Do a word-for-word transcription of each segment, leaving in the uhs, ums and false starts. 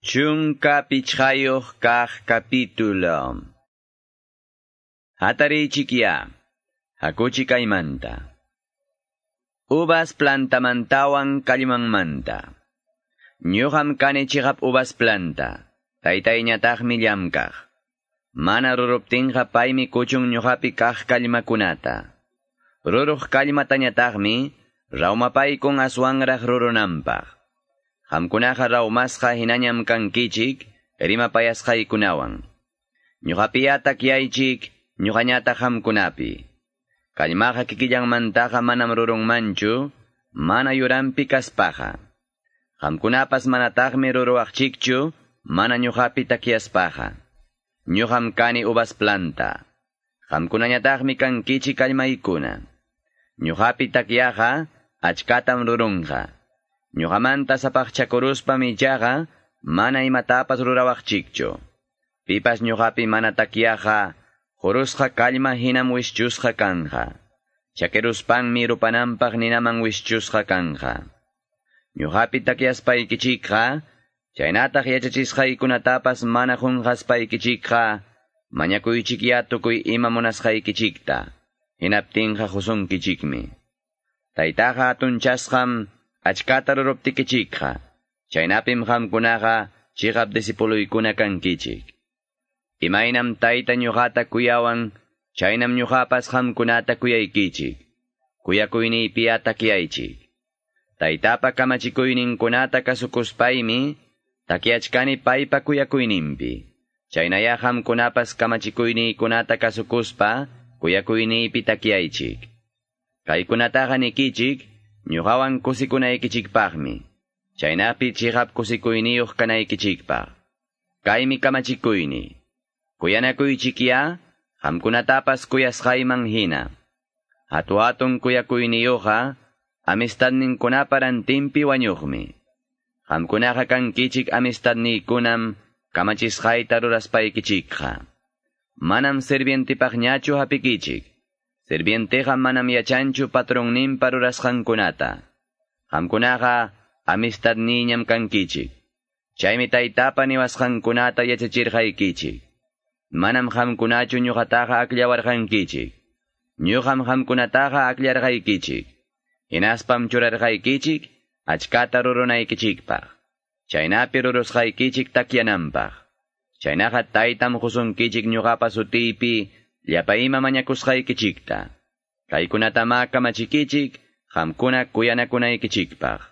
Chunka pichqayuq kaq capítulo. Hatarichikya, hakuchi kaymanta. Uvas plantamantawan kallmanmanta. Ñuqam kani chiqap uvas planta, taytayñataqmi llamkaq. Mana ruruptinqa paymi kuchun ñuqapi kaq kallmakunata. Ruruq kallmatañataqmi rawmapaykun aswanraq rurunanpaq. Qamkunaqa rawmasqa hinañam kankichik rimapayasqaykunawan. Ñuqapiya takyaychik ñuqañataq qamkunapi. Kallmaqa kikillanmantaqa manam rurunmanchu, mana yuranpi kaspaqa. Qamkunapas manataqmi ruruwaqchikchu, mana ñuqapi takyaspaqa. Ñuqam kani uvas planta. Qamkunañataqmi kankichik kallmaykuna. Ñuqapi takyaqa achkatam rurunqa. Ñuqamanta sapaqchakuruspam ichaqa mana imatapas rurawaqchikchu. Pipas ñuqapi mana takyaqa, qurusqa kallma hinam wischusqa kanja. Chakiruspanmi rupananpaq ninaman wischusqa kanja. Ñuqapi takyaspaykichikqa, chaynataq yachachisqaykunatapas mana qunqaspaykichikqa, mañakuychikya tukuy ima munasqaykichikta, hinaptinqa qusunkichikmi. Taytaqa hatunchasqam achkata ruruptikichikqa, chaynapim qamkunaqa chiqap disipuluykuna kankichik. Imaynam tayta ñuqata kuyawan, chaynam ñuqapas qamkunata kuyaykichik. Kuyakuyniypiya takyaychik. Taytapa kamachikuyninkunata kasukuspaymi, takyachkani paypa kuyakuyninpi. Chaynaya qamkunapas kamachikuyniykunata kasukuspa, kuyakuyniypi takyaychik. Kaykunataqa nikichik, ñuqawan kusikunaykichikpaqmi. Chaynapi chiqap kusikuyniyuq kanaykichikpaq. Kaymi kamachikuyni. Kuyanakuychikya, qamkunatapas kuyasqayman hina. Hatu-hatun kuyakuyniyuqqa, amistadninkunapa rantinpi wañuqmi. Qamkunaqa kankichik amistadniykunam kamachisqayta ruraspaykichikqa. Manam sirvientipaqñachu hapikichik. Sirvienteqa manam yachanchu patronninpa rurasqankunata. Qamkunaqa amistadniñam kankichik. Chaymi taytapa niwasqankunata yachachirqaykichik. Manam qamkunachu ñuqataqa akllawarqankichik. Ñuqam qamkunataqa akllarqaykichik. Hinaspam churarqaykichik achkata rurunaykichikpaq. Chaynapi rurusqaykichik takyananpaq. Chaynaqa taytam qusunkichik ñuqapa sutiypi llapa ima mañakusqaykichikta. Kaykunatama kamachikichik qamkuna kuyanakunaykichikpaq.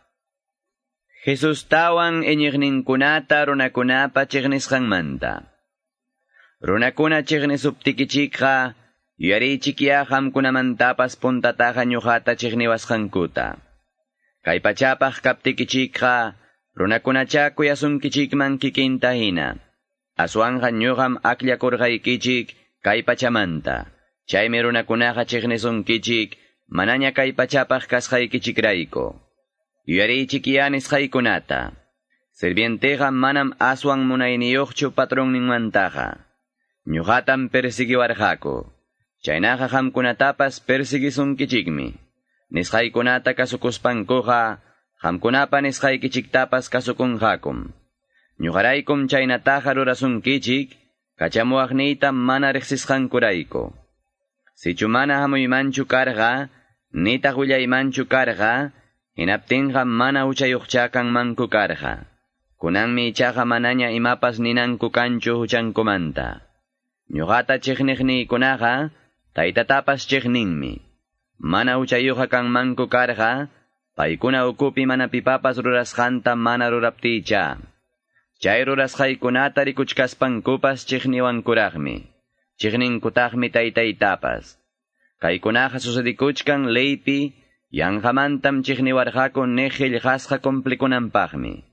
Jesustawan iñiqninkunata runakunapa chiqnisqanmanta. Runakuna chiqnisuptikichikqa, yuyarichikya qamkunamantapas puntataqa ñuqata chiqniwasqankuta. Kay pachapaq kaptikichikqa, runakunacha kuyasunkichikman kikinta hina. Aswanqa ñuqam akllakurqaykichik kay pachamanta. Chaymi runakunaqa chiqnisunkichik, manaña kay pachapaq kasqaykichikrayku. Yuyarichikya nisqaykunata. Sirvienteqa manam aswan munayniyuqchu patronninmantaqa. Ñuqatam persiguiwarqaku. Chaynaqa qamkunatapas persiguisunkichikmi. Nisqaykunata kasukuspankuqa, qamkunapa nisqaykichiktapas kasukunqakum. Ñuqaraykum chaynataqa rurasunkichik, kachamuwaqniyta mana riqsisqankurayku. Sichu mana hamuymanchu karqa, nitaq willaymanchu karqa, hinaptinqa mana huchayuqcha kanmanku karqa. Kunanmi ichaqa manaña imapas ninanku kanchu huchankumanta. Ñuqata chiqniqniykunaqa, taytatapas chiqninmi. Mana huchayuqa kanmanku karqa, paykuna ukupi mana pipapas rurasqanta mana ruraptiycha. Chay rurasqaykunata rikuchkaspankupas chiqniwankuraqmi. Chiqninkutaqmi taytaytapas. Kaykunaqa sucedikuchkan leypi, yanqamantam chiqniwarqaku niq qillqasqa cumplikunanpaqmi.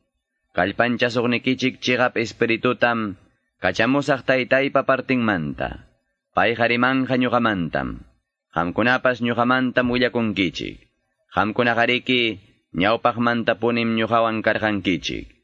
Kallpanchasuqnikichik chiqap espiritutam, kachamusaq taytaypa partinmanta. Payqa rimanqa ñuqamantam. Qamkunapas ñuqamantam willakunkichik. Qamkunaqariki ñawpaqmantapunim ñuqawan karqankichik.